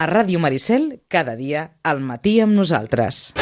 A Ràdio Maricel, cada dia, al matí amb nosaltres.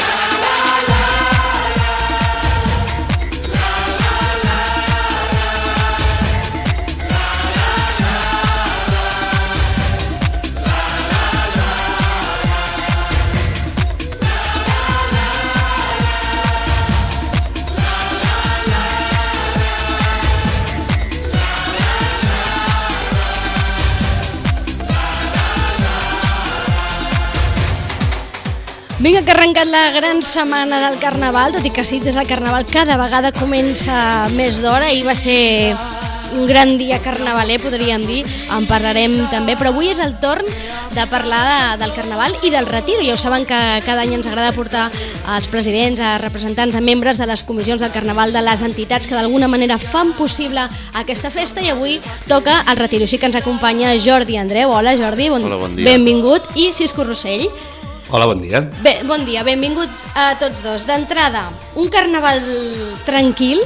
Vinga, que ha arrencat la gran setmana del Carnaval, tot i que Sitges el Carnaval cada vegada comença més d'hora. Ahir va ser un gran dia carnavaler, podríem dir, en parlarem també, però avui és el torn de parlar del Carnaval i del Retiro. Ja ho saben que cada any ens agrada portar als presidents, a representants, a membres de les comissions del Carnaval, de les entitats que d'alguna manera fan possible aquesta festa, i avui toca el Retiro. Així que ens acompanya Jordi Andreu. Hola Jordi, Hola, bon dia. Benvingut, i Cisco Rossell. Hola, bon dia. Bé, bon dia, benvinguts a tots dos. D'entrada, un carnaval tranquil.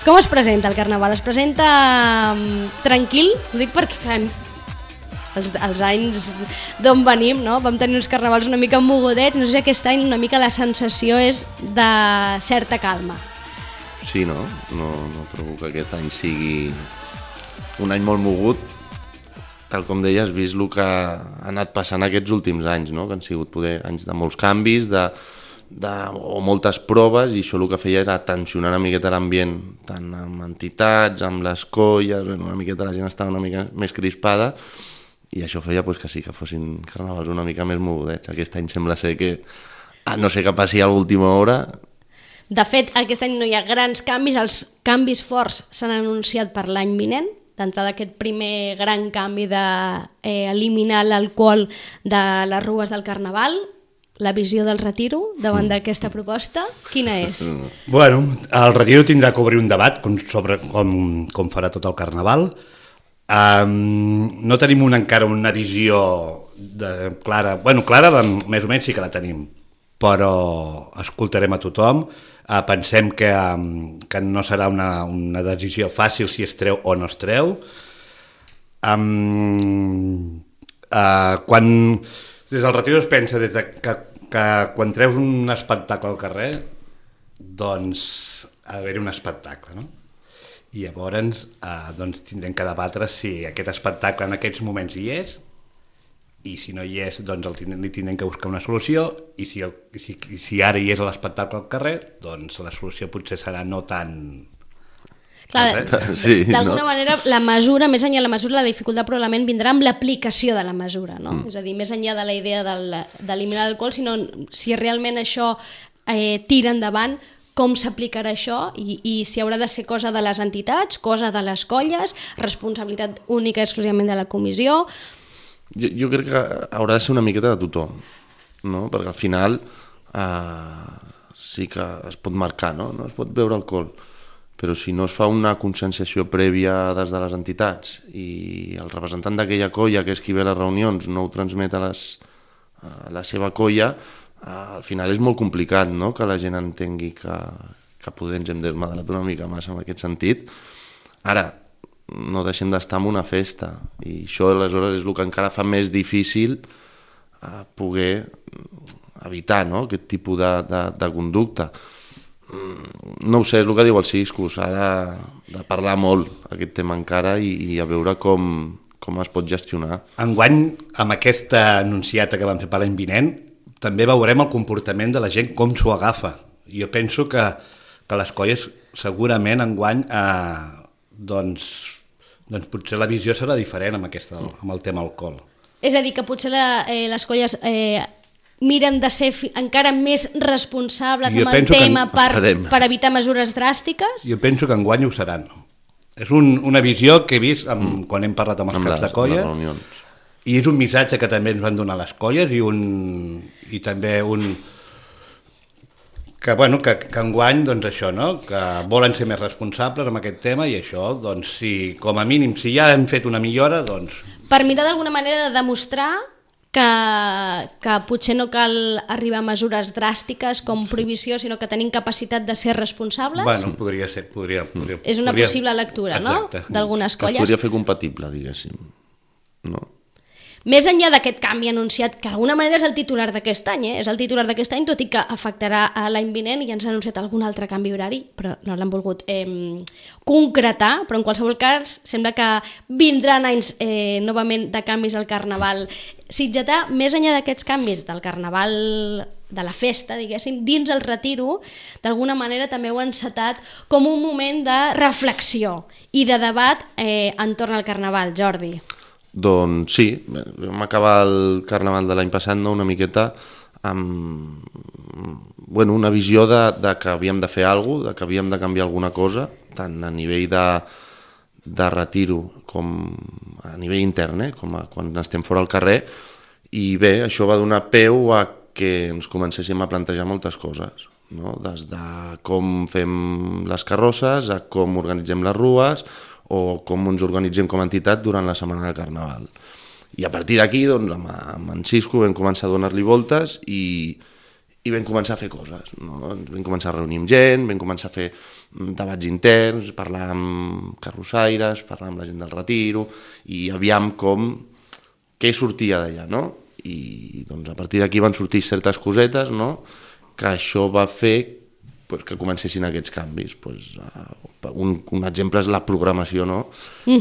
Com es presenta el carnaval? Es presenta tranquil? Ho dic perquè clar, els anys d'on venim, no? Vam tenir uns carnavals una mica mogudets. No sé si aquest any una mica la sensació és de certa calma. Sí, no? No trobo que aquest any sigui un any molt mogut. Tal com deies, vist el que ha anat passant aquests últims anys, no? Que han sigut poder anys de molts canvis, o moltes proves, i això el que feia era tensionar una miqueta l'ambient, tant amb entitats, amb les colles, una miqueta la gent estava una mica més crispada, i això feia que sí, que fossin carnavals una mica més mogudets. Aquest any sembla ser que, no sé què passi a l'última hora. De fet, aquest any no hi ha grans canvis, els canvis forts s'han anunciat per l'any vinent. D'entrada, aquest primer gran canvi d'eliminar l'alcohol de les rues del Carnaval. La visió del Retiro davant d'aquesta proposta, quina és? Bueno, el Retiro tindrà que obrir un debat sobre com farà tot el Carnaval. No tenim encara una visió clara. Bueno, clara més o menys sí que la tenim, però escoltarem a tothom. Pensem que no serà una decisió fàcil si es treu o no es treu. Des del Retiro es pensa que quan treus un espectacle al carrer, doncs ha d'haver-hi un espectacle, no? I llavors tindrem que debatre si aquest espectacle en aquests moments hi és, i si no hi és, doncs li tindrem que buscar una solució, i si ara hi és l'espectacle al carrer, doncs la solució potser serà no tan... Clar, sí, d'alguna manera la mesura, més enllà de la mesura, la dificultat probablement vindrà amb l'aplicació de la mesura, no? És a dir, més enllà de la idea d'eliminar l'alcohol, sinó si realment això tira endavant, com s'aplicarà això, i si haurà de ser cosa de les entitats, cosa de les colles, responsabilitat única exclusivament de la comissió. Jo crec que haurà de ser una miqueta de tothom, no? Perquè al final sí que es pot marcar, no? No es pot beure alcohol, però si no es fa una conscienciació prèvia des de les entitats i el representant d'aquella colla, que és qui ve a les reunions, no ho transmet a la seva colla, al final és molt complicat, no? Que la gent entengui que poder ens hem desmadrat una mica massa en aquest sentit. Ara, no deixem d'estar en una festa, i això aleshores és el que encara fa més difícil poder evitar, no? Aquest tipus de conducta. No ho sé, és el que diu el Cisco, s'ha de parlar molt aquest tema encara i a veure com es pot gestionar. Enguany, amb aquesta anunciata que vam fer per l'any vinent, també veurem el comportament de la gent, com s'ho agafa. Jo penso que les colles segurament enguany doncs potser la visió serà diferent amb el tema alcohol. És a dir, que potser les colles miren de ser encara més responsables amb el tema per evitar mesures dràstiques? Jo penso que enguany ho seran. És una visió que he vist quan hem parlat amb els caps de colla, i és un missatge que també ens van donar les colles, i també que enguany, doncs això, no? Que volen ser més responsables amb aquest tema, i això, doncs, com a mínim, si ja hem fet una millora, doncs... Per mirar d'alguna manera de demostrar que potser no cal arribar a mesures dràstiques com prohibició, sinó que tenim capacitat de ser responsables? Bueno, podria ser. És una possible lectura, no? D'algunes colles. Es podria fer compatible, diguéssim. No? Més enllà d'aquest canvi anunciat, que d'alguna manera és el titular d'aquest any, és el titular d'aquest any, tot i que afectarà a l'any vinent i ens ha anunciat algun altre canvi horari, però no l'han volgut concretar, però en qualsevol cas sembla que vindran anys novament de canvis al Carnaval sitgetà. Més enllà d'aquests canvis del Carnaval, de la festa, diguéssim, dins el retiro, d'alguna manera també ho han encetat com un moment de reflexió i de debat entorn al Carnaval, Jordi. Doncs sí, vam acabar el Carnaval de l'any passat, no?, una miqueta amb una visió de que havíem de fer alguna cosa, de que havíem de canviar alguna cosa, tant a nivell de retiro com a nivell intern, com quan estem fora al carrer, i bé, això va donar peu a que ens comencéssim a plantejar moltes coses, no? Des de com fem les carrosses, a com organitzem les rues, o com ens organitzem com a entitat durant la setmana de Carnaval. I a partir d'aquí, doncs, amb en Cisco vam començar a donar-li voltes i vam començar a fer coses, no? Vam començar a reunir amb gent, vam començar a fer debats interns, parlar amb carrossaires, parlar amb la gent del retiro, i aviam què sortia d'allà, no? I doncs, a partir d'aquí van sortir certes cosetes, no?, que això va fer que comencessin aquests canvis. Un exemple és la programació, no?,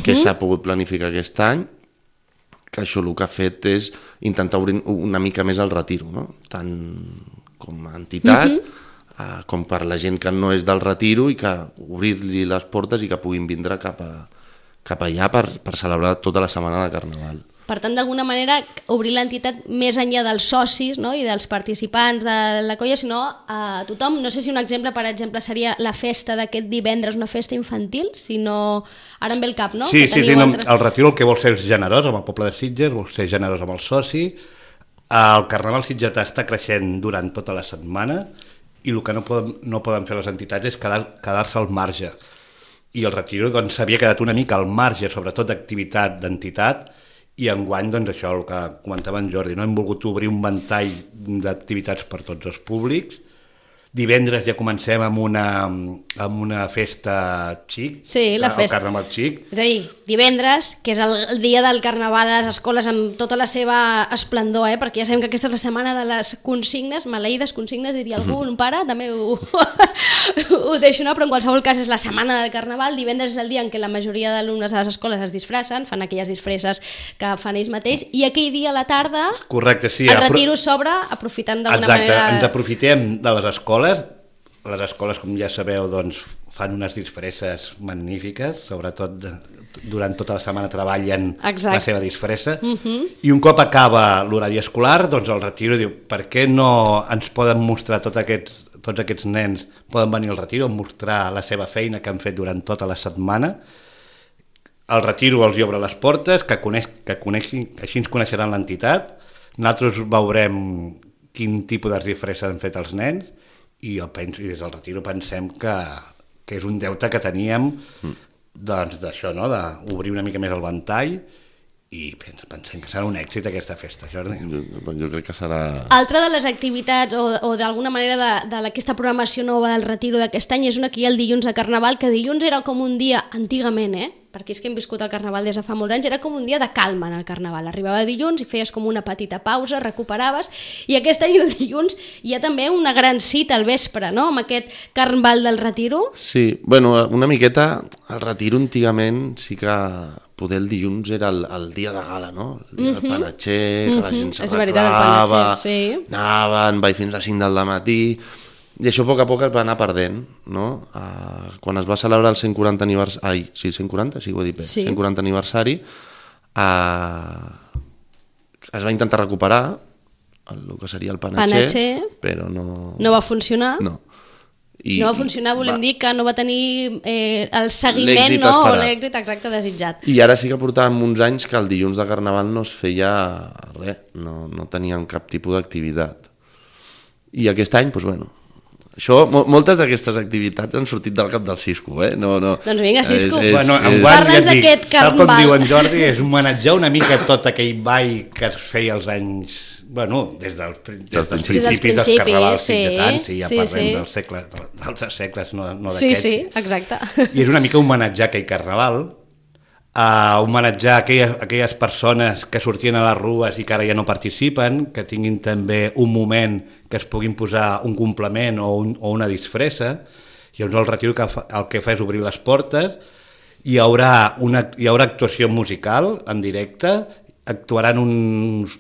que s'ha pogut planificar aquest any, que això el que ha fet és intentar obrir una mica més el retiro, no?, tant com a entitat, com per la gent que no és del retiro, i que obrir-li les portes i que puguin vindre cap allà per celebrar tota la setmana de Carnaval. Per tant, d'alguna manera, obrir l'entitat més enllà dels socis, no?, i dels participants de la colla, sinó a tothom. No sé si un exemple, per exemple, seria la festa d'aquest divendres, una festa infantil, sinó... Ara em ve el cap, no? Sí, el retiro el que vol ser és generós amb el poble de Sitges, vol ser generós amb el soci. El Carnaval sitgetà està creixent durant tota la setmana i el que no poden fer les entitats és quedar-se al marge. I el retiro doncs, s'havia quedat una mica al marge, sobretot d'activitat d'entitat, i enguany, doncs això, el que comentava en Jordi, no? Hem volgut obrir un ventall d'activitats per tots els públics. Divendres ja comencem amb una festa xic, sí, la festa. El Carnaval xic. És a dir, divendres, que és el dia del Carnaval a les escoles amb tota la seva esplendor, perquè ja sabem que aquesta és la setmana de les consignes, maleïdes consignes, diria algú, un pare, també ho deixo anar, però en qualsevol cas és la setmana del Carnaval. Divendres és el dia en què la majoria d'alumnes a les escoles es disfressen, fan aquelles disfresses que fan ells mateix, i aquell dia a la tarda, correcte, sí, el retiro s'obre aprofitant d'alguna manera... Exacte, ens aprofitem de les escoles. Les escoles, com ja sabeu, doncs, fan unes disfresses magnífiques, sobretot durant tota la setmana treballen la seva disfressa, i un cop acaba l'horari escolar, doncs el retiro diu, per què no ens poden mostrar tots aquests nens, poden venir al retiro a mostrar la seva feina que han fet durant tota la setmana. El retiro els obre les portes, que coneixin, així ens coneixeran l'entitat, nosaltres veurem quin tipus de disfresses han fet els nens, i des del retiro pensem que és un deute que teníem doncs d'això, no?, d'obrir una mica més el ventall, i pensem que serà un èxit aquesta festa, Jordi. Jo crec que serà... Altra de les activitats o d'alguna manera d'aquesta programació nova del retiro d'aquest any és una que hi ha el dilluns de Carnaval, que dilluns era com un dia, antigament, perquè és que hem viscut el Carnaval des de fa molts anys, era com un dia de calma en el Carnaval. Arribava dilluns i feies com una petita pausa, recuperaves, i aquest any el dilluns hi ha també una gran cita al vespre, no?, amb aquest Carnaval del retiro. Sí, bueno, una miqueta, el retiro antigament sí que poder el dilluns era el dia de gala, no? El dia del panatxer, que la gent s'arreglava, anaven, fins a les 5 del matí, i això a poc es va anar perdent, no? Quan es va celebrar el 140 aniversari, 140, sí, ho he dit bé, 140 aniversari, es va intentar recuperar el que seria el panatxer, però no... No va funcionar? No. No va funcionar, volem dir que no va tenir el seguiment, no? O l'èxit exacte desitjat. I ara sí que portàvem uns anys que el dilluns de Carnaval no es feia res, no teníem cap tipus d'activitat. I aquest any, doncs bueno, això, moltes d'aquestes activitats han sortit del cap del Cisco, No. Doncs vinga, Cisco, parla'ns d'aquest Carnaval. Tal com diu en Jordi, és homenatjar una mica tot aquell ball que es feia als anys... Bueno, des dels principis dels carnavals sitgetans, ja parlem dels segles, no d'aquests. Sí, exacte. I és una mica homenatjar aquell carnaval a homenatjar aquelles persones que sortien a les rues i que ara ja no participen, que tinguin també un moment que es puguin posar un complement o una disfressa. Llavors el Retiro el que fa és obrir les portes, hi haurà actuació musical en directe, actuaran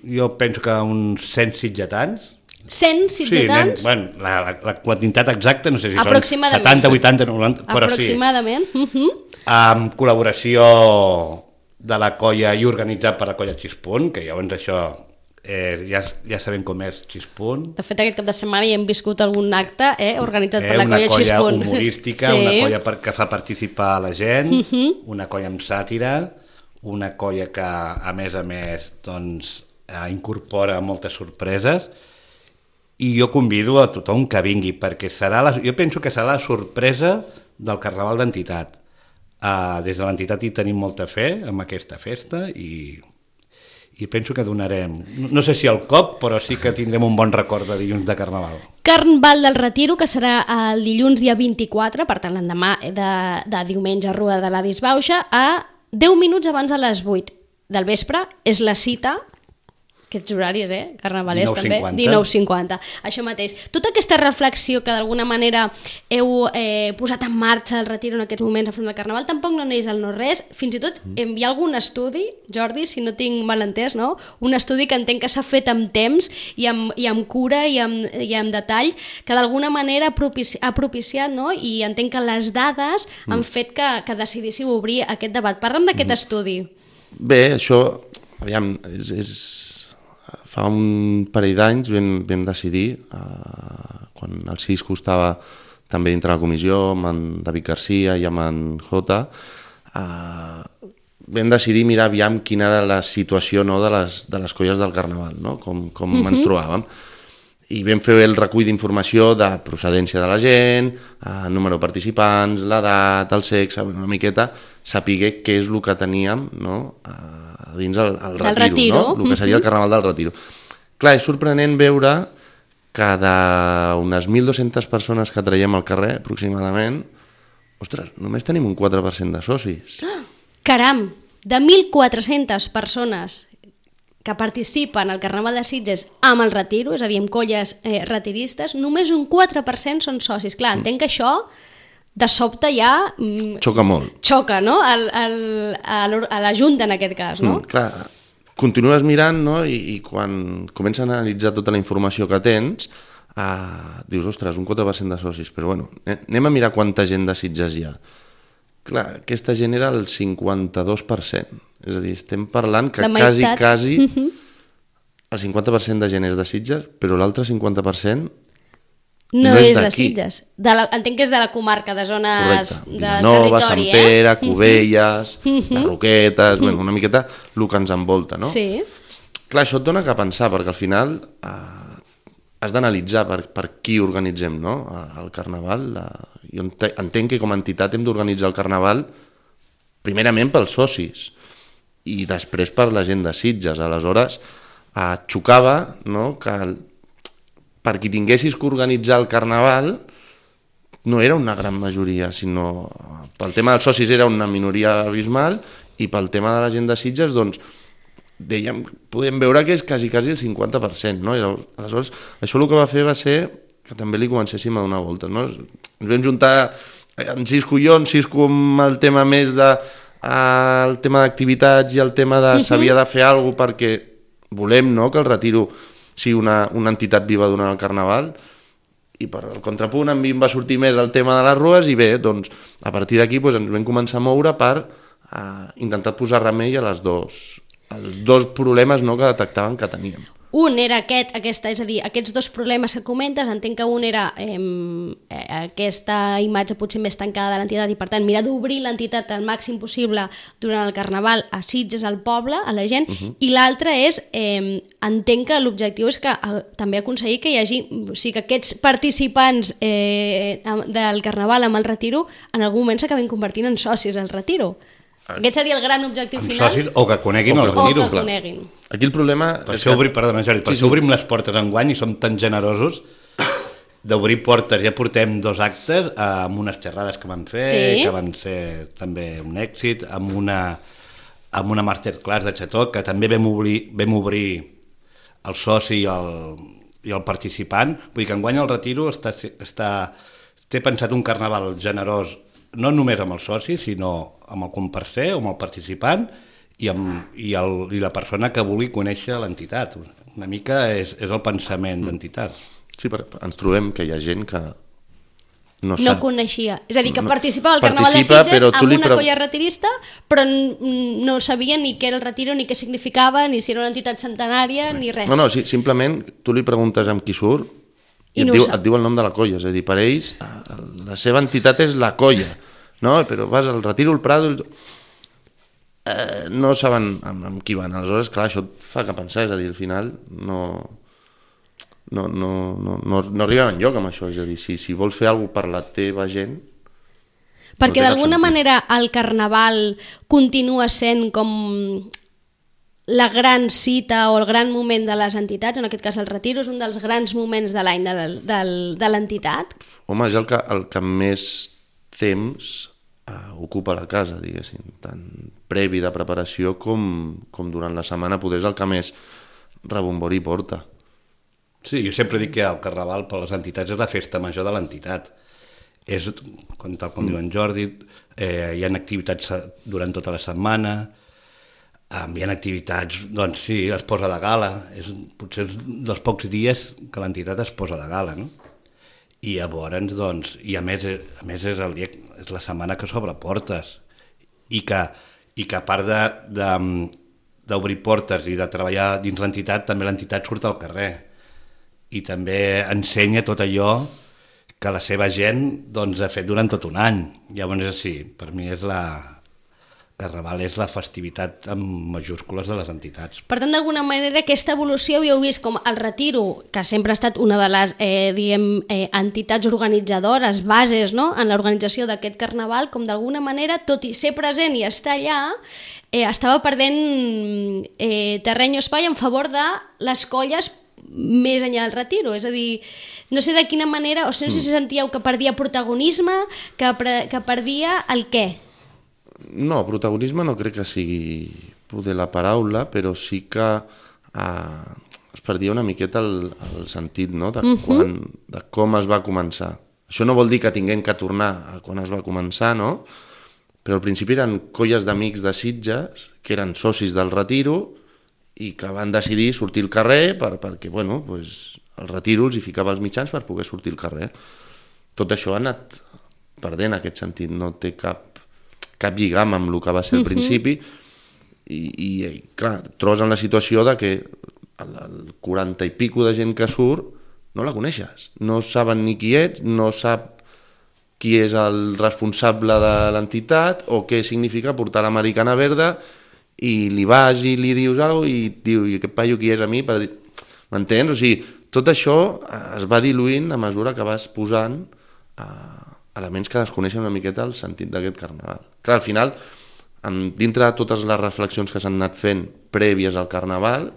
jo penso que uns 100 sitgetans. 100 sitgetans? Sí, la quantitat exacta no sé si són 70, 80, 90, però sí. Aproximadament. Amb col·laboració de la colla i organitzat per la colla Xispunt, que llavors això ja sabem com és Xispunt. De fet, aquest cap de setmana ja hem viscut algun acte organitzat per la colla Xispunt. Una colla humorística, sí. Una colla que fa participar la gent, una colla amb sàtira, una colla que a més doncs, incorpora moltes sorpreses, i jo convido a tothom que vingui, perquè jo penso que serà la sorpresa del Carnaval d'Entitat. Des de l'entitat hi tenim molta fe en aquesta festa i penso que donarem, no sé si el cop, però sí que tindrem un bon record de dilluns de Carnaval. Carnaval del Retiro, que serà el dilluns dia 24, per tant l'endemà de diumenge a Rua de la Disbauxa, a 10 minuts abans de les 8 del vespre, és la cita. Aquests horaris, carnavalers 19:50. també, 19:50, això mateix. Tota aquesta reflexió que d'alguna manera heu posat en marxa el Retiro en aquests moments a front del Carnaval, tampoc no neix al no-res, fins i tot hi ha algun estudi, Jordi, si no tinc mal entès, no? Un estudi que entenc que s'ha fet amb temps i amb cura i amb detall, que d'alguna manera ha propiciat, no? I entenc que les dades han fet que decidíssiu obrir aquest debat. Parla'm d'aquest estudi. Bé, això, aviam, fa un parell d'anys vam decidir, quan el Cisco estava també dintre la comissió, amb en David Garcia i amb en Jota, vam decidir mirar aviam quina era la situació, no, de les colles del Carnaval, no? Com ens trobàvem. I vam fer el recull d'informació de procedència de la gent, número de participants, l'edat, el sexe, una miqueta, saber què és el que teníem, no? Dins el Retiro, no? El que seria el Carnaval del Retiro. Clar, és sorprenent veure que d'unes 1.200 persones que traiem al carrer, aproximadament, ostres, només tenim un 4% de socis. Caram, de 1.400 persones que participen al Carnaval de Sitges amb el Retiro, és a dir, amb colles retiristes, només un 4% són socis. Clar, entenc que això de sobte ja... Xoca molt. Xoca, no? A la Junta, en aquest cas, no? Clar, continues mirant, no? I quan comences a analitzar tota la informació que tens, dius, ostres, un 4% de socis, però bueno, anem a mirar quanta gent de Sitges hi ha. Clar, aquesta gent era el 52%. És a dir, estem parlant que quasi el 50% de gent és de Sitges, però l'altre 50% no és de Sitges. Entenc que és de la comarca, de zones de Vilanova, territori. Sant Pere, Cubelles, les Roquetes, una miqueta el que ens envolta, no? Sí. Clar, això et dona que pensar, perquè al final has d'analitzar per qui organitzem, no? El Carnaval. Jo entenc que com a entitat hem d'organitzar el Carnaval primerament pels socis i després per la gent de Sitges. Aleshores, xocava, no?, que per qui tinguessis que organitzar el Carnaval no era una gran majoria, sinó pel tema dels socis era una minoria abismal i pel tema de la gent de Sitges, doncs, podem veure que és quasi el 50%, no? I aleshores, això el que va fer va ser que també li comencéssim a donar voltes, no? Ens vam juntar en Cisco i jo, en Cisco amb el tema més el tema d'activitats i el tema de s'havia de fer alguna cosa perquè volem, no?, que el Retiro sigui una entitat viva durant el Carnaval, i per el contrapunt a mi em va sortir més el tema de les rues i bé, doncs a partir d'aquí ens vam començar a moure per intentar posar remei a els dos problemes, no?, que detectaven que teníem. Un era és a dir, aquests dos problemes que comentes, entenc que un era aquesta imatge potser més tancada de l'entitat i per tant mirar d'obrir l'entitat al màxim possible durant el Carnaval a Sitges, al poble, a la gent, i l'altre és, entenc que l'objectiu és que també aconseguir que hi hagi, o sigui, que aquests participants del Carnaval amb el Retiro en algun moment s'acabin convertint en socis al Retiro. Aquest seria el gran objectiu final. Socis, o que coneguin el Retiro. O que coneguin. Aquí el problema... Per això obrim les portes enguany i som tan generosos d'obrir portes. Ja portem 2 actes amb unes xerrades que vam fer, que van ser també un èxit, amb amb una masterclass de xató, que també vam obrir el soci i el participant. Vull dir que enguany el Retiro té pensat un carnaval generós, no només amb el soci, sinó amb el comparser o amb el participant i la persona que vulgui conèixer l'entitat. Una mica és el pensament d'entitat. Sí, ens trobem que hi ha gent que no coneixia. És a dir, que participava al Carnaval de Sitges amb una colla retirista, però no sabia ni què era el Retiro, ni què significava, ni si era una entitat centenària, ni res. No, simplement tu li preguntes amb qui surt i et diu el nom de la colla. És a dir, per ells la seva entitat és la colla, no? Però vas al Retiro, al Prado... no saben amb qui van. Aleshores, clar, això et fa que pensar, és a dir, al final no arribem enlloc amb això. És a dir, si vols fer alguna cosa per la teva gent... Perquè d'alguna manera el Carnaval continua sent com la gran cita o el gran moment de les entitats, en aquest cas el Retiro és un dels grans moments de l'any de l'entitat. Home, és el que més temps ocupa la casa, diguéssim, tant previ de preparació com durant la setmana poder és el que més rebombori porta. Sí, jo sempre dic que el Carnaval per les entitats és la festa major de l'entitat. És, tal com diu en Jordi, hi ha activitats durant tota la setmana, hi ha activitats, doncs sí, es posa de gala, potser és dels pocs dies que l'entitat es posa de gala, no? I llavors, doncs, i a més és el dia, és la setmana que s'obre portes i que a part d'obrir portes i de treballar dins l'entitat, també l'entitat surt al carrer i també ensenya tot allò que la seva gent doncs, ha fet durant tot un any. Llavors, sí, per mi és Carnaval és la festivitat amb majúscules de les entitats. Per tant, d'alguna manera, aquesta evolució ho heu vist com el Retiro, que sempre ha estat una de les entitats organitzadores, bases, no?, en l'organització d'aquest Carnaval, com d'alguna manera, tot i ser present i estar allà, estava perdent terreny o espai en favor de les colles més enllà del Retiro. És a dir, no sé de quina manera, o no sé si sentíeu que perdia protagonisme, que perdia el què? No, protagonisme no crec que sigui poder la paraula, però sí que es perdia una miqueta el sentit, no?, de com es va començar. Això no vol dir que tinguem que tornar a quan es va començar, no? Però al principi eren colles d'amics de Sitges que eren socis del Retiro i que van decidir sortir al carrer perquè bueno, pues, el Retiro els hi ficava els mitjans per poder sortir al carrer. Tot això ha anat perdent aquest sentit, no té cap lligam amb el que va ser al principi i clar, trobes en la situació de que el 40 i pico de gent que surt no la coneixes, no saben ni qui ets, no sap qui és el responsable de l'entitat o què significa portar l'americana verda i li vas i li dius alguna cosa i et diu, i aquest paio qui és a mi? M'entens? O sigui, tot això es va diluint a mesura que vas posant elements que desconeixen una miqueta el sentit d'aquest carnaval. Clar, al final, dintre de totes les reflexions que s'han anat fent prèvies al carnaval,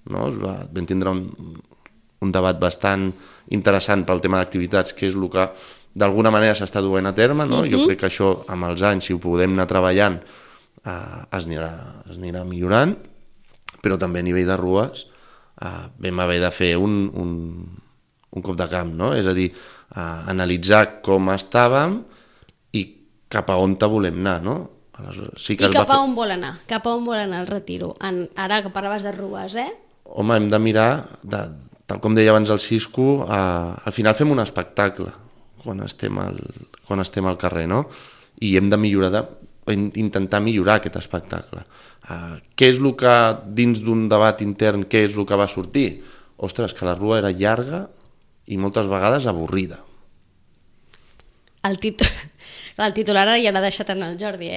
no, vam tindre un debat bastant interessant pel tema d'activitats, que és el que d'alguna manera s'està duent a terme, no? Jo crec que això amb els anys, si ho podem anar treballant, es anirà millorant, però també a nivell de rues vam haver de fer un cop de camp, no? És a dir, analitzar com estàvem i cap a on volem anar, no? Sí que I cap a on vol anar? Cap a on vol anar el Retiro? Ara que parlaves de rues, Home, hem de mirar, tal com deia abans el Cisco, al final fem un espectacle quan estem al carrer, no? I hem de millorar, intentar millorar aquest espectacle. Què és el que, dins d'un debat intern, què és el que va sortir? Ostres, que la rua era llarga i moltes vegades avorrida. El titular ara ja l'ha deixat en el Jordi,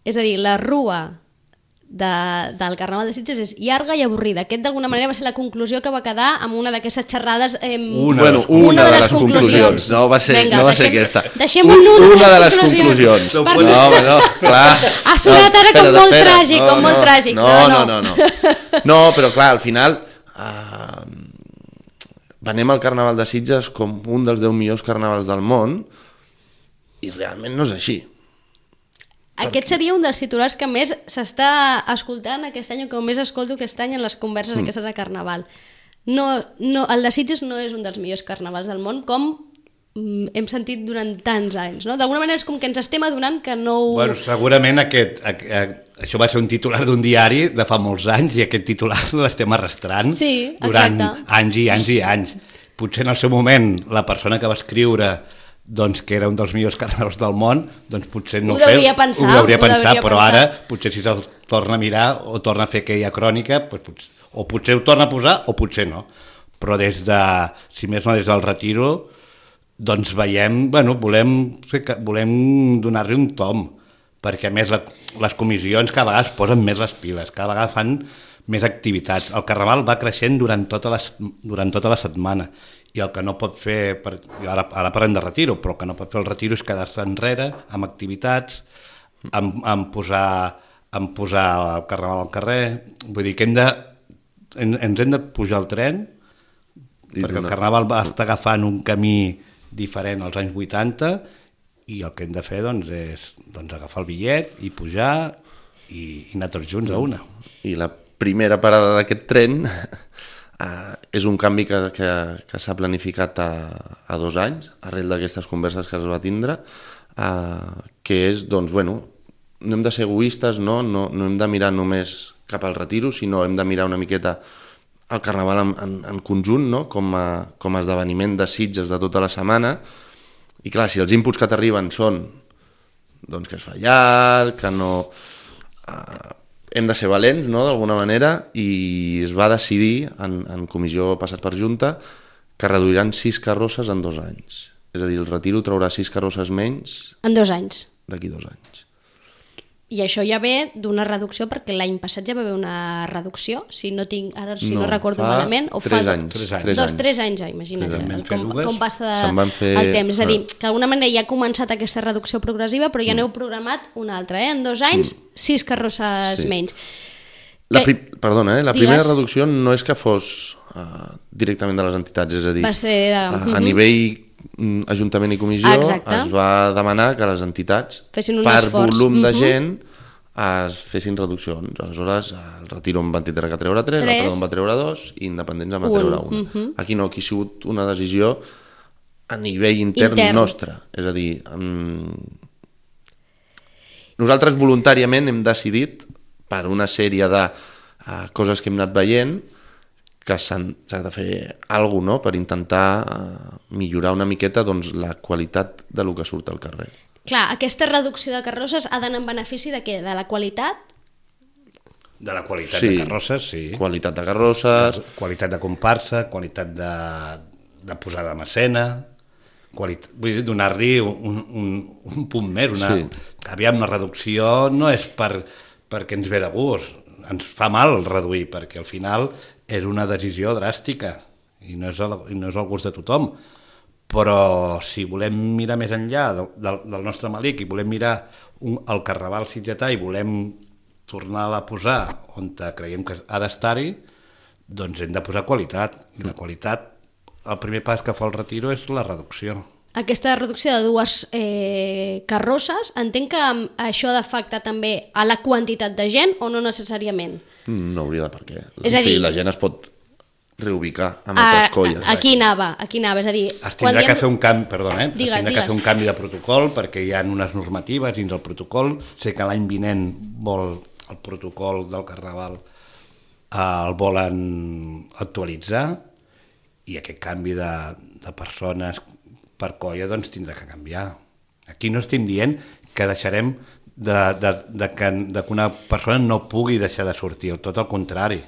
És a dir, la rua del Carnaval de Sitges és llarga i avorrida. Aquest d'alguna manera va ser la conclusió que va quedar amb una d'aquestes xerrades... Una de les conclusions. No va ser aquesta. Deixem una de les conclusions. No, clar. Ha sonat ara com molt tràgic. No, però clar, al final... Venem al Carnaval de Sitges com un dels 10 millors carnavals del món i realment no és així. Aquest seria un dels titulars que més s'està escoltant aquest any, o que més escolto aquest any en les converses aquestes de Carnaval. El de Sitges no és un dels millors carnavals del món, com hem sentit durant tants anys, no? D'alguna manera és com que ens estem adonant que no ho... Bueno, segurament això va ser un titular d'un diari de fa molts anys i aquest titular l'estem arrastrant durant anys i anys i anys. Potser en el seu moment la persona que va escriure doncs, que era un dels millors carnavals del món, doncs potser no ho devia pensar, però ara potser si se'l torna a mirar o torna a fer aquella crònica, doncs, o potser ho torna a posar o potser no. Però si més no des del retiro, doncs veiem, volem donar-li un tom, perquè a més les comissions cada vegada es posen més les piles, cada vegada fan més activitats. El Carnaval va creixent durant tota la setmana i el que no pot fer, ara parlem de retiro, però el que no pot fer el retiro és quedar-se enrere amb activitats, amb posar el Carnaval al carrer. Vull dir que ens hem de pujar al tren, perquè el Carnaval va estar agafant un camí diferent als anys 80 i el que hem de fer és agafar el bitllet i pujar i anar tots junts a una. I la primera parada d'aquest tren és un canvi que s'ha planificat a 2 anys, arrel d'aquestes converses que es va tindre, que és, doncs, no hem de ser egoistes, no hem de mirar només cap al retiro, sinó hem de mirar una miqueta el Carnaval en conjunt, no? com a esdeveniment de Sitges de tota la setmana. I clar, si els inputs que t'arriben són doncs, que es fa llarg, que no... hem de ser valents, no?, d'alguna manera, i es va decidir en comissió passat per Junta que reduiran 6 carrosses en 2 anys. És a dir, el retiro traurà 6 carrosses menys... En 2 anys. D'aquí 2 anys. I això ja ve d'una reducció, perquè l'any passat ja va haver una reducció, si no recordo malament, o fa 3 anys, imagina't com passa el temps. És a dir, que d'alguna manera ja ha començat aquesta reducció progressiva, però ja n'heu programat una altra, en 2 anys, 6 carrosses menys. Perdona, la primera reducció no és que fos directament de les entitats, és a dir, a nivell Ajuntament i Comissió es va demanar que les entitats, per volum de gent, es fessin reduccions. Aleshores, el retiro en van tindre que treure 3, el Perdó en va treure 2 i Independents en va treure 1. Aquí no, aquí ha sigut una decisió a nivell intern nostre. És a dir, nosaltres voluntàriament hem decidit, per una sèrie de coses que hem anat veient, que s'ha de fer alguna cosa per intentar millorar una miqueta la qualitat de lo que surt al carrer. Clar, aquesta reducció de carrosses ha d'anar en benefici de què? De la qualitat? De la qualitat de carrosses, sí. Qualitat de carrosses. Qualitat de comparsa, qualitat de posada en escena, vull dir, donar-li un punt més. Aviam, la reducció no és perquè ens ve de gust, ens fa mal reduir, perquè al final és una decisió dràstica i no és el gust de tothom. Però si volem mirar més enllà del nostre malic i volem mirar el Carnaval sitgetà i volem tornar-la a posar on creiem que ha d'estar-hi, doncs hem de posar qualitat. I la qualitat, el primer pas que fa el retiro és la reducció. Aquesta reducció de 2 carrosses, entenc que això ha d'afectar també a la quantitat de gent o no necessàriament? No hauria de per què. És a dir, la gent es pot reubicar amb altres colles. Aquí anava, és a dir... Es tindrà que fer un canvi, perdona, es tindrà que fer un canvi de protocol perquè hi ha unes normatives dins el protocol. Sé que l'any vinent el protocol del Carnaval el volen actualitzar i aquest canvi de persones per colla doncs tindrà que canviar. Aquí no estem dient que deixarem que una persona no pugui deixar de sortir, tot el contrari.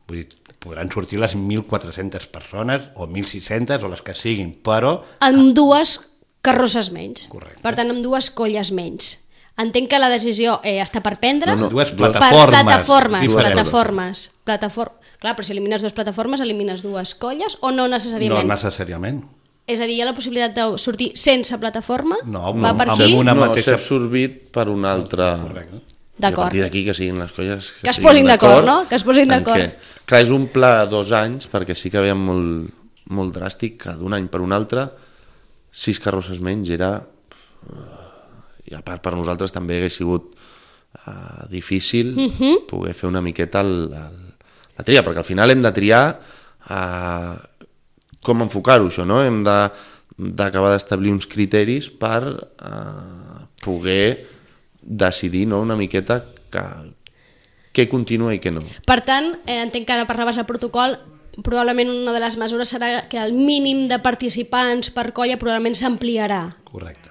Vull dir, podran sortir les 1.400 persones o 1.600 o les que siguin, però... Amb 2 carrosses menys. Correcte. Per tant, amb 2 colles menys. Entenc que la decisió està per prendre... No, 2 plataformes. Clar, però si elimines 2 plataformes, elimines 2 colles o no necessàriament? No necessàriament. És a dir, hi ha la possibilitat de sortir sense plataforma? No, s'ha absorbit per una altra... Correcte. I a partir d'aquí que siguin les colles... Que es posin d'acord, no? Que es posin d'acord. Clar, és un pla de 2 anys, perquè sí que veiem molt dràstic que d'un any per un altre 6 carrosses menys era I a part per nosaltres també hagués sigut difícil poder fer una miqueta la tria, perquè al final hem de triar com enfocar-ho això, no? Hem d'acabar d'establir uns criteris per poder decidir, no?, una miqueta què continua i què no. Per tant, entenc que ara parlaves del protocol, probablement una de les mesures serà que el mínim de participants per colla probablement s'ampliarà. Correcte.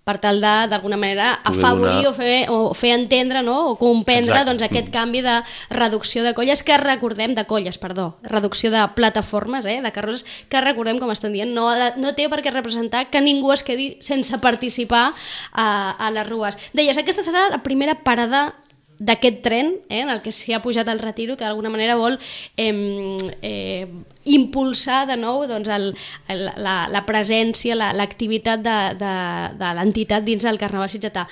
Per tal d'alguna manera afavorir o fer entendre, no?, o comprendre doncs, aquest canvi de reducció de colles, reducció de plataformes, de carrosses, que recordem, com estan dient, no té per què representar que ningú es quedi sense participar a les rues. Deies, aquesta serà la primera parada d'aquest tren, en el que s'hi ha pujat el retiro, que d'alguna manera vol impulsar de nou doncs, la presència, l'activitat de l'entitat dins del Carnaval sitgetà.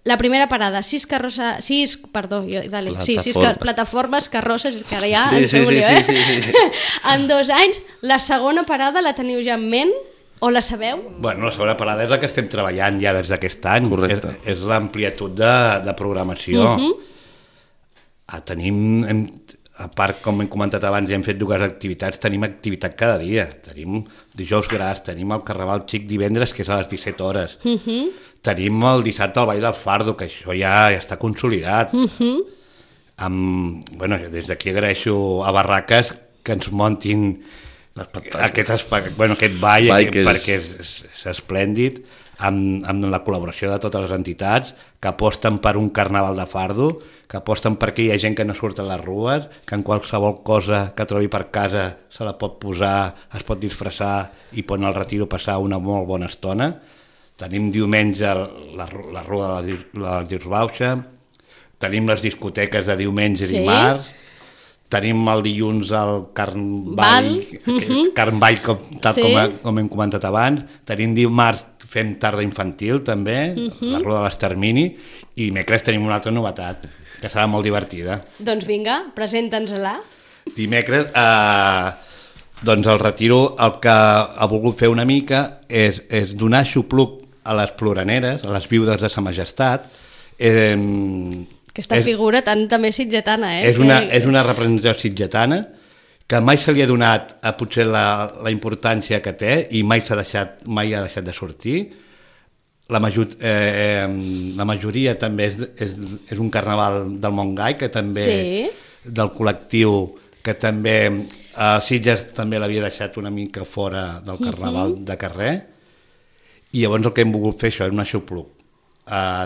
La primera parada, 6 plataformes, carrosses, que ara ja en feu un lío, en 2 anys. La segona parada la teniu ja en ment? O la sabeu? Bueno, la segona parada és la que estem treballant ja des d'aquest any. Correcte. És l'ampliatud de programació. Tenim, a part, com hem comentat abans, hem fet 2 activitats, tenim activitat cada dia. Tenim dijous gras, tenim el Carnaval Xic divendres, que és a les 17 hores. Tenim el dissabte el Ball del Fardo, que això ja està consolidat. Des d'aquí agraeixo a Barraques que ens muntin aquest ball perquè és esplèndid, amb la col·laboració de totes les entitats que aposten per un carnaval de fardo, que aposten perquè hi ha gent que no surt a les rues, que en qualsevol cosa que trobi per casa se la pot posar, es pot disfressar i pot anar al retiro passar una molt bona estona. Tenim diumenge la Rua de la Dirsbauxa, tenim les discoteques de diumenge i dimarts, tenim el dilluns el Carnball, com hem comentat abans, tenim dimarts, fem tarda infantil també, la Ruda de l'Extermini, i dimecres tenim una altra novetat, que serà molt divertida. Doncs vinga, presenta'ns-la. Dimecres, doncs el retiro el que ha volgut fer una mica és donar xupluc a les ploraneres, a les viudes de Sa Majestat. Aquesta figura també sitgetana, És una representació sitgetana que mai se li ha donat potser la importància que té i mai ha deixat de sortir. La majoria també és un carnaval del Montgai, que també del col·lectiu, que també a Sitges també l'havia deixat una mica fora del carnaval de carrer, i llavors el que hem volgut fer això és un aixopluc,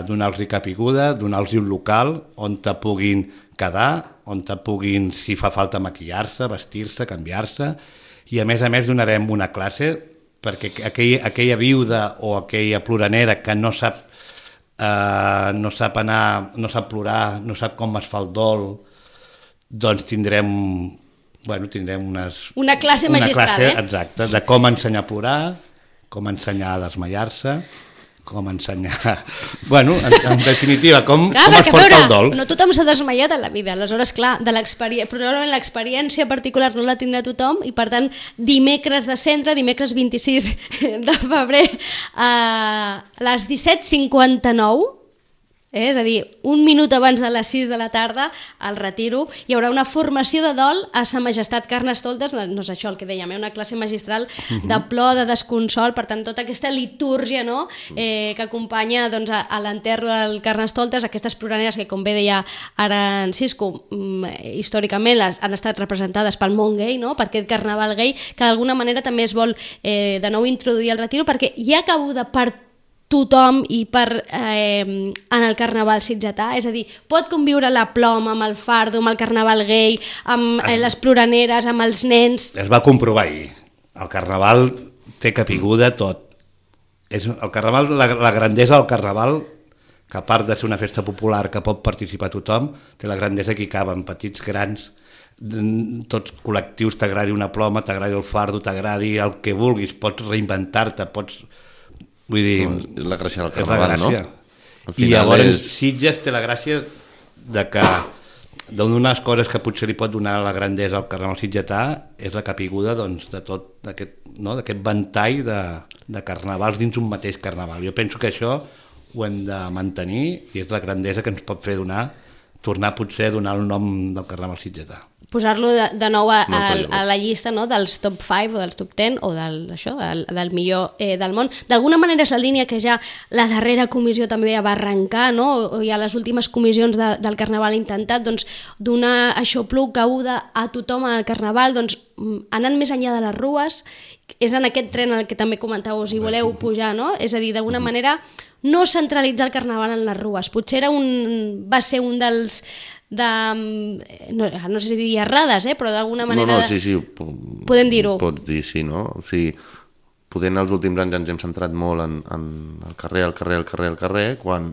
donar-los capiguda, donar-los un local on te puguin quedar, on te puguin, si fa falta, maquillar-se, vestir-se, canviar-se, i a més donarem una classe perquè aquella viuda o aquella ploranera que no sap anar, no sap plorar, no sap com es fa el dol, doncs tindrem una classe magistral, exacte, de com ensenyar a plorar, com ensenyar a desmaiar-se, com ensenyar... en definitiva, com es porta el dol. No tothom s'ha desmaiat a la vida, aleshores, clar, probablement l'experiència particular no la tindrà tothom, i per tant, dimecres de centre, dimecres 26 de febrer, a les 17:59, és a dir, un minut abans de les 6 de la tarda, al retiro, hi haurà una formació de dol a Sa Majestat Carnestoltes, no és això el que dèiem, una classe magistral de plor, de desconsol, per tant, tota aquesta litúrgia que acompanya a l'enterro del Carnestoltes, aquestes ploraneres que, com bé deia ara en Cisco, històricament han estat representades pel món gai, per aquest carnaval gai, que d'alguna manera també es vol de nou introduir al retiro, perquè hi ha cabuda per tothom i en el carnaval sitgetà, és a dir, pot conviure la ploma amb el fardo, amb el carnaval gai, amb les ploraneres, amb els nens... Es va comprovar ahir. El carnaval té capiguda tot. El carnaval, la grandesa del carnaval, que a part de ser una festa popular que pot participar tothom, té la grandesa que hi caben petits, grans, tots col·lectius, t'agradi una ploma, t'agradi el fardo, t'agradi el que vulguis, pots reinventar-te, pots... Vull dir, és la gràcia del carnaval, no? I llavors Sitges té la gràcia de que d'una de les coses que potser li pot donar la grandesa al carnaval sitgetà és la capiguda de tot aquest ventall de carnavals dins un mateix carnaval. Jo penso que això ho hem de mantenir i és la grandesa que ens pot fer tornar potser a donar el nom del Carnaval sitgetà. Posar-lo de nou a la llista, no?, dels top 5 o dels top 10 o del millor del món. D'alguna manera és la línia que ja la darrera comissió també va arrencar, no? O ja les últimes comissions del Carnaval ha intentat donar aixopluc, cabuda a tothom al Carnaval, anant més enllà de les rues. És en aquest tren en el que també comentàveu si voleu pujar, no? És a dir, d'alguna manera no centralitzar el Carnaval en les rues. Potser va ser un dels no sé si diria errades, però d'alguna manera... No, sí, podem dir-ho. Pots dir, sí, no? O sigui, poder en els últims anys ens hem centrat molt en el carrer, quan,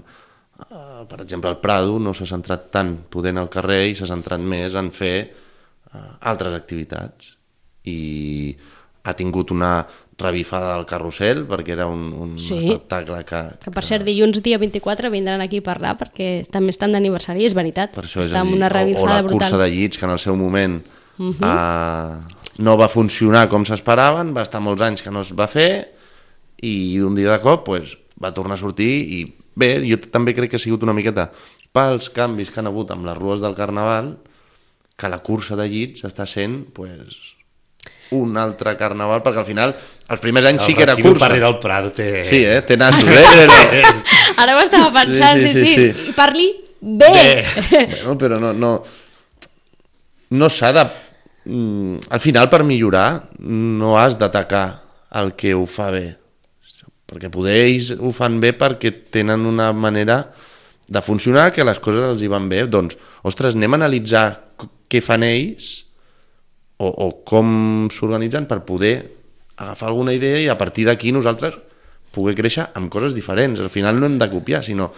per exemple, el Prado no s'ha centrat tant poder en el carrer i s'ha centrat més en fer altres activitats. I ha tingut una revifada del carrusel, perquè era un espectacle que per cert, dilluns dia 24 vindran aquí a parlar, perquè també estan d'aniversari, és veritat. Per això està amb una revifada brutal. O la cursa de llits, que en el seu moment no va funcionar com s'esperaven, va estar molts anys que no es va fer, i un dia de cop va tornar a sortir, i bé, jo també crec que ha sigut una miqueta pels canvis que han hagut amb les rues del Carnaval, que la cursa de llits està sent un altre Carnaval, perquè al final els primers anys sí que era cursa. El del Prado té... Sí, té nassos, Ara ho estava pensant, sí. I parli bé. Bueno, però no s'ha de... Al final, per millorar, no has d'atacar el que ho fa bé. Perquè poder ells ho fan bé perquè tenen una manera de funcionar, que les coses els hi van bé. Doncs, ostres, anem a analitzar què fan ells o com s'organitzen per poder agafar alguna idea i a partir d'aquí nosaltres poder créixer amb coses diferents. Al final no hem de copiar, sinó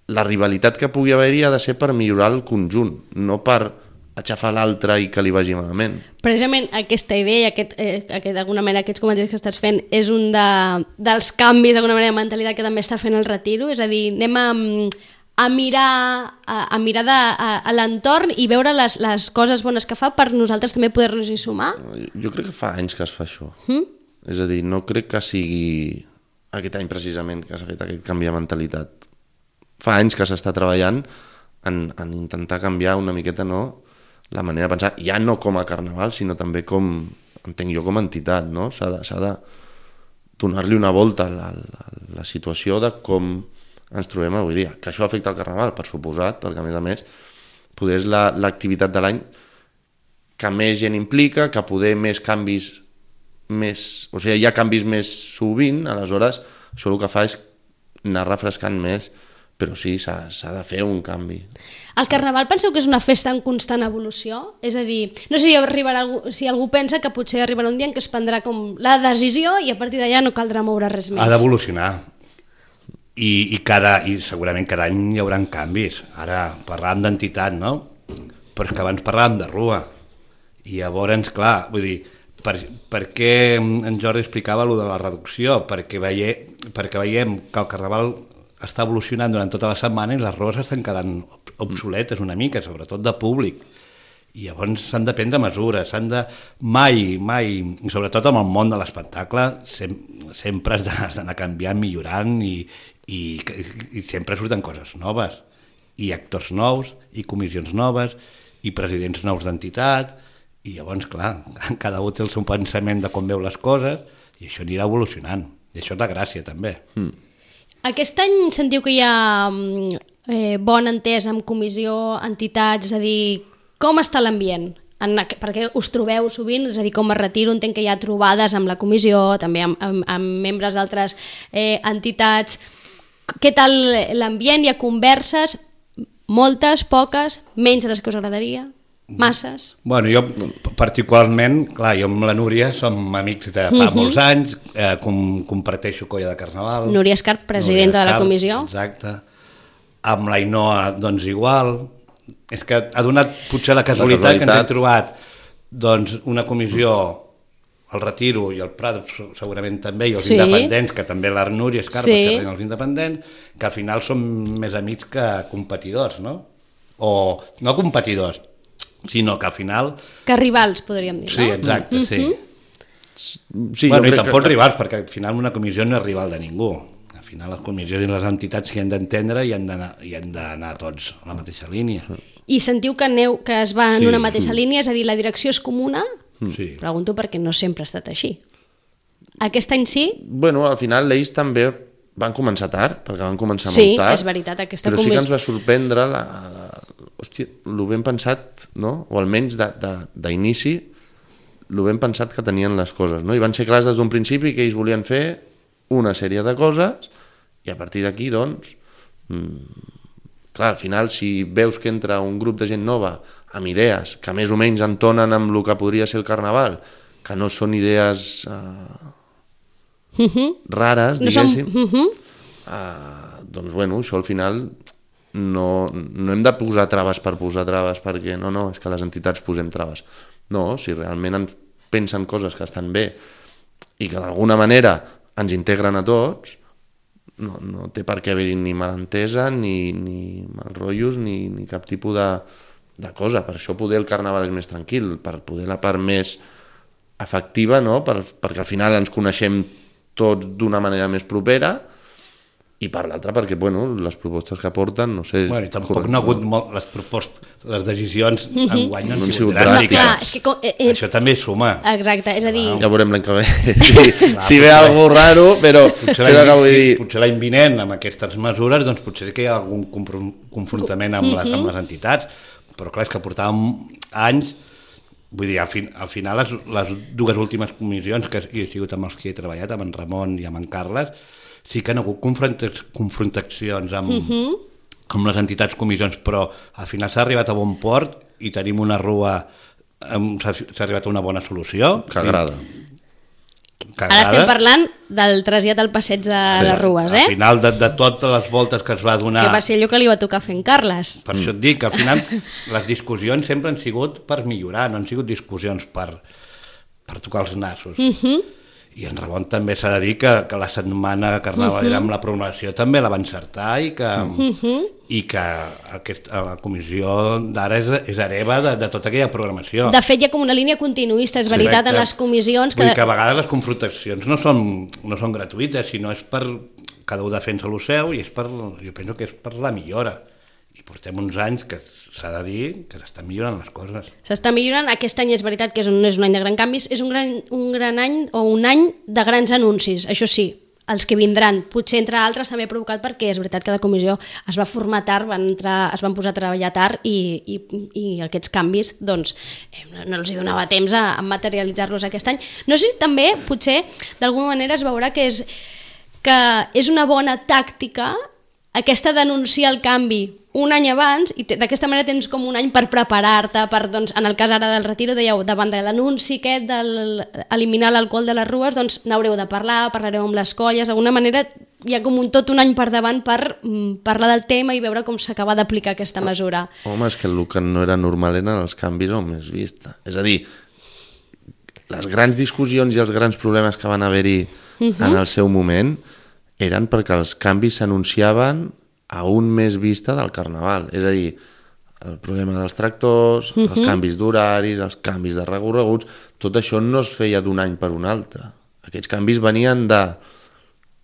la rivalitat que pugui haver-hi ha de ser per millorar el conjunt, no per aixafar l'altre i que li vagi malament. Precisament aquesta idea i d'alguna manera aquests comentaris que estàs fent és un dels canvis d'alguna manera de mentalitat que també està fent el Retiro, és a dir, anem a mirar a l'entorn i veure les coses bones que fa per nosaltres també poder-nos-hi sumar? Jo crec que fa anys que es fa això. És a dir, no crec que sigui aquest any precisament que s'ha fet aquest canvi de mentalitat. Fa anys que s'està treballant en intentar canviar una miqueta la manera de pensar, ja no com a Carnaval, sinó també com, entenc jo, com a entitat, no? S'ha de donar-li una volta a la situació de com ens trobem avui dia. Que això afecta el Carnaval, per suposat, perquè a més poder és l'activitat de l'any que més gent implica, que poder més canvis o sigui, hi ha canvis més sovint, aleshores això el que fa és anar refrescant més, però sí, s'ha de fer un canvi. El Carnaval penseu que és una festa en constant evolució? És a dir, no sé si algú pensa que potser arribarà un dia en què es prendrà com la decisió i a partir d'allà no caldrà moure res més. Ha d'evolucionar. I segurament cada any hi haurà canvis. Ara parlàvem d'entitat, no? Però és que abans parlàvem de rua. I llavors, clar, vull dir, per què en Jordi explicava allò de la reducció? Perquè veiem que el Carnaval està evolucionant durant tota la setmana i les rues estan quedant obsoletes una mica, sobretot de públic. I llavors s'han de prendre mesures, mai, i sobretot amb el món de l'espectacle, sempre has d'anar canviant, millorant i sempre surten coses noves, i actors nous, i comissions noves, i presidents nous d'entitat, i llavors, clar, cada un té el seu pensament de com veu les coses, i això anirà evolucionant, i això és la gràcia, també. Aquest any sentiu que hi ha bon entès amb comissió, entitats, és a dir, com està l'ambient? Perquè us trobeu sovint, és a dir, com a Retiro entenc que hi ha trobades amb la comissió, també amb membres d'altres entitats. Què tal l'ambient? Hi ha converses? Moltes, poques, menys de les que us agradaria? Masses? Bueno, jo particularment, clar, jo amb la Núria som amics de fa molts anys, comparteixo colla de Carnaval. Núria Escarp, presidenta de la comissió. Exacte. Amb l'Ainoa, doncs igual. És que ha donat potser la casualitat que ens hem trobat una comissió, el Retiro i el Prado segurament també, i els independents, que també la Núria Escarp, que tenen els independents, que al final són més amics que competidors, no? O no competidors, sinó que al final... Que rivals, podríem dir, no? Sí, exacte, sí. Bueno, i tampoc rivals, perquè al final una comissió no és rival de ningú. Al final les comissions i les entitats s'hi han d'entendre i han d'anar tots a la mateixa línia. I sentiu que es va en una mateixa línia, és a dir, la direcció és comuna? Sí. Pregunto perquè no sempre ha estat així. Aquest any sí? Bueno, al final l'Eix també van començar tard, perquè van començar Sí, molt tard. és veritat, aquesta però sí que ens va sorprendre hòstia, lo ben pensat, no? O almenys d'inici, lo ben pensat que tenien les coses, no? I van ser clars des d'un principi que ells volien fer una sèrie de coses i a partir d'aquí, doncs, clar, al final, si veus que entra un grup de gent nova amb idees que més o menys entonen amb el que podria ser el carnaval, que no són idees rares, diguéssim, doncs, bueno, això al final no hem de posar traves per posar traves perquè no, és que les entitats posem traves. No, si realment pensen coses que estan bé i que d'alguna manera ens integren a tots, no té per què haver-hi ni malentesa, ni mal rotllos, ni cap tipus de cosa. Per això poder el carnaval és més tranquil, per poder la part més efectiva, no? Perquè al final ens coneixem tots d'una manera més propera, i per l'altra perquè, bueno, les propostes que porten, no sé... Bueno, i tampoc no ha hagut molt les decisions enguany no han sigut dràstiques. Això també suma. Exacte, és a dir... Ja veurem l'any que ve, si ve alguna cosa raro, però potser l'any vinent, amb aquestes mesures, doncs potser que hi ha algun confrontament amb les entitats, però clar, és que portàvem anys, vull dir, al final les dues últimes comissions que he sigut amb els que he treballat, amb en Ramon i amb en Carles, sí que han hagut confrontacions amb les entitats comissions, però al final s'ha arribat a bon port i tenim una rua, s'ha arribat a una bona solució. Que agrada. Ara estem parlant del trasllat al passeig de les Rues, Al final de totes les voltes que es va donar... Que va ser allò que li va tocar fer en Carles. Per això et dic que al final les discussions sempre han sigut per millorar, no han sigut discussions per tocar els nassos. I en Ramon també s'ha de dir que la setmana carnavalera amb la programació també la va encertar i que la comissió d'ara és hereva de tota aquella programació. De fet, hi ha com una línia continuista, és veritat, en les comissions... Vull dir que a vegades les confrontacions no són gratuïtes, sinó és per... Cada un defensa el seu i jo penso que és per la millora. I portem uns anys que s'ha de dir que s'estan millorant les coses. S'està millorant. Aquest any és veritat que no és un any de grans canvis, és un gran any o un any de grans anuncis, això sí, els que vindran. Potser entre altres també provocat perquè és veritat que la comissió es va formar tard, es van posar a treballar tard i aquests canvis doncs, no els hi donava temps a materialitzar-los aquest any. No sé si també potser d'alguna manera es veurà que és una bona tàctica aquesta d'anunciar el canvi un any abans i d'aquesta manera tens com un any per preparar-te doncs, en el cas ara del retiro dèieu, davant de l'anunci aquest d'eliminar l'alcohol de les rues, doncs n'haureu de parlareu amb les colles, d'alguna manera hi ha com tot un any per davant per parlar del tema i veure com s'acaba d'aplicar aquesta mesura. Home, és que el que no era normal eren els canvis o més vista. És a dir, les grans discussions i els grans problemes que van haver-hi en el seu moment eren perquè els canvis s'anunciaven a un mes vista del carnaval. És a dir, el problema dels tractors, els canvis d'horaris, els canvis de recorreguts, tot això no es feia d'un any per un altre. Aquests canvis venien de...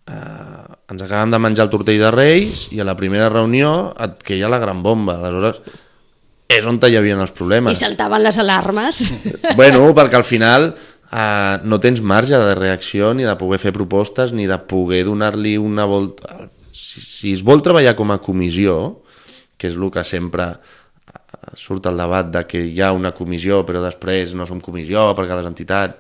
ens acabem de menjar el tortell de Reis i a la primera reunió et queia la gran bomba. Aleshores, és on hi havia els problemes. I saltaven les alarmes. Bueno, perquè al final... no tens marge de reacció ni de poder fer propostes ni de poder donar-li una volta. Si es vol treballar com a comissió, que és el que sempre surt al debat de que hi ha una comissió però després no som comissió perquè les entitats...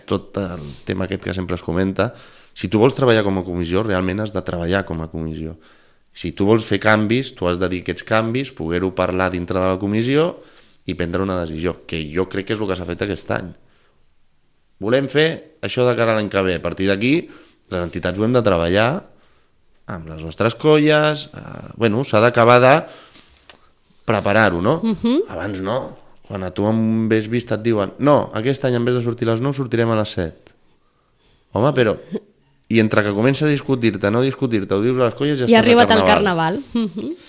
Tot el tema aquest que sempre es comenta. Si tu vols treballar com a comissió, realment has de treballar com a comissió. Si tu vols fer canvis, tu has de dir aquests canvis, poder-ho parlar dintre de la comissió i prendre una decisió, que jo crec que és el que s'ha fet aquest any. Volem fer això de cara a l'any que ve. A partir d'aquí, les entitats ho hem de treballar amb les nostres colles. Bueno, s'ha d'acabar de preparar-ho, no? Abans no. Quan a tu amb ves vista et diuen no, aquest any en vez de sortir a les 9 sortirem a les 7. Home, però... I entre que comença a discutir-te, no discutir-te, ho dius a les colles i ja estàs ha arribat al carnaval.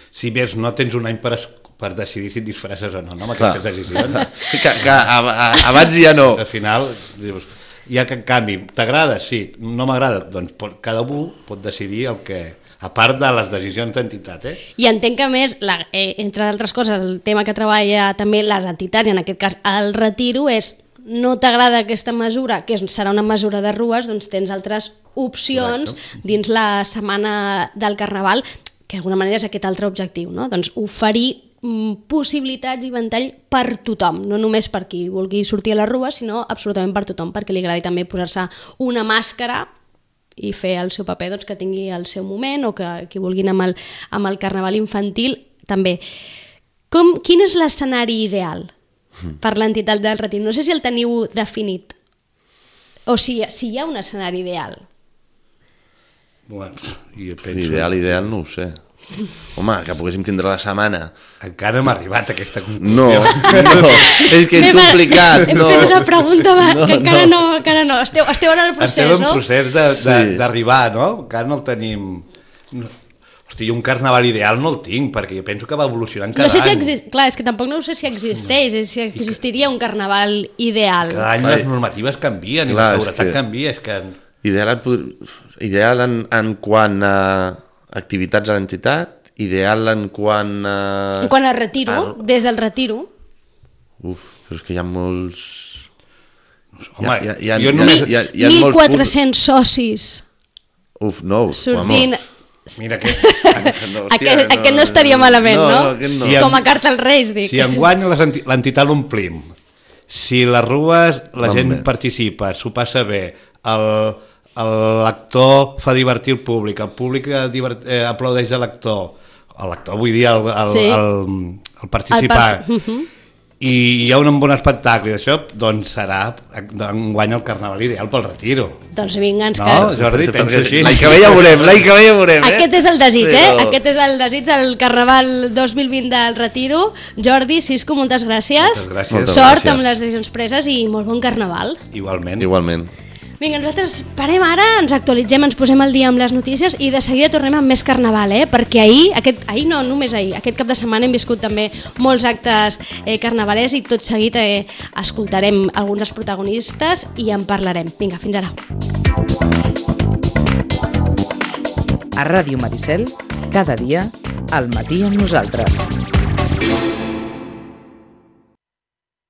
Si més no tens un any per decidir si et disfresses o no, amb aquestes decisions. Que abans ja no. Al final, dius, hi ha aquest canvi. T'agrada? Sí. No m'agrada? Doncs cada un pot decidir el que... A part de les decisions d'entitat, I entenc que, a més, entre altres coses, el tema que treballa també les entitats, i en aquest cas el retiro, és no t'agrada aquesta mesura, que serà una mesura de rues, doncs tens altres opcions dins la setmana del Carnaval, que d'alguna manera és aquest altre objectiu, no? Doncs oferir possibilitats i ventall per tothom, no només per qui vulgui sortir a la rua, sinó absolutament per tothom, perquè li agradi també posar-se una màscara i fer el seu paper, doncs, que tingui el seu moment, o que qui vulguin amb el Carnaval infantil també. Quin és l'escenari ideal per l'entitat del Retiro? No sé si el teniu definit o si hi ha un escenari ideal. Bueno, jo penso... Ideal no ho sé. Home, que poguéssim tindre la setmana. Encara no hem arribat a aquesta conclusió. No, és que és complicat. Hem fet una pregunta que encara no. Esteu en el procés, no? Estem en procés d'arribar, no? Encara no el tenim... Hosti, un carnaval ideal no el tinc, perquè jo penso que va evolucionant cada any. Clar, és que tampoc no sé si existeix, si existiria un carnaval ideal. Cada any les normatives canvien i la seguretat canvia. Ideal en quant a activitats a l'entitat, ideal en quant a... En quant a retiro, des del retiro. Però és que hi ha molts... Home, hi ha 1.400 socis. Sortint... Mira, aquest no estaria malament, no? Com a carta als Reis, dic. Si enguany l'entitat l'omplim, si les rues la gent participa, s'ho passa bé, l'actor fa divertir el públic aplaudeix l'actor, vull dir el participar, i hi ha un bon espectacle d'això, doncs serà enguany el carnaval ideal pel retiro. Doncs vinga, ens quedem. No, Jordi, penso així. L'any que ve ja veurem. Aquest és el desig, Aquest és el desig del Carnaval 2020 del Retiro. Jordi, Sisco, moltes gràcies. Sort amb les decisions preses i molt bon carnaval. Igualment. Vinga, nosaltres parem ara, ens actualitzem, ens posem al dia amb les notícies i de seguida tornem amb més carnaval, perquè aquest cap de setmana hem viscut també molts actes carnavalers i tot seguit escoltarem alguns dels protagonistes i en parlarem. Vinga, fins ara. A Ràdio Maricel, cada dia, al matí amb nosaltres.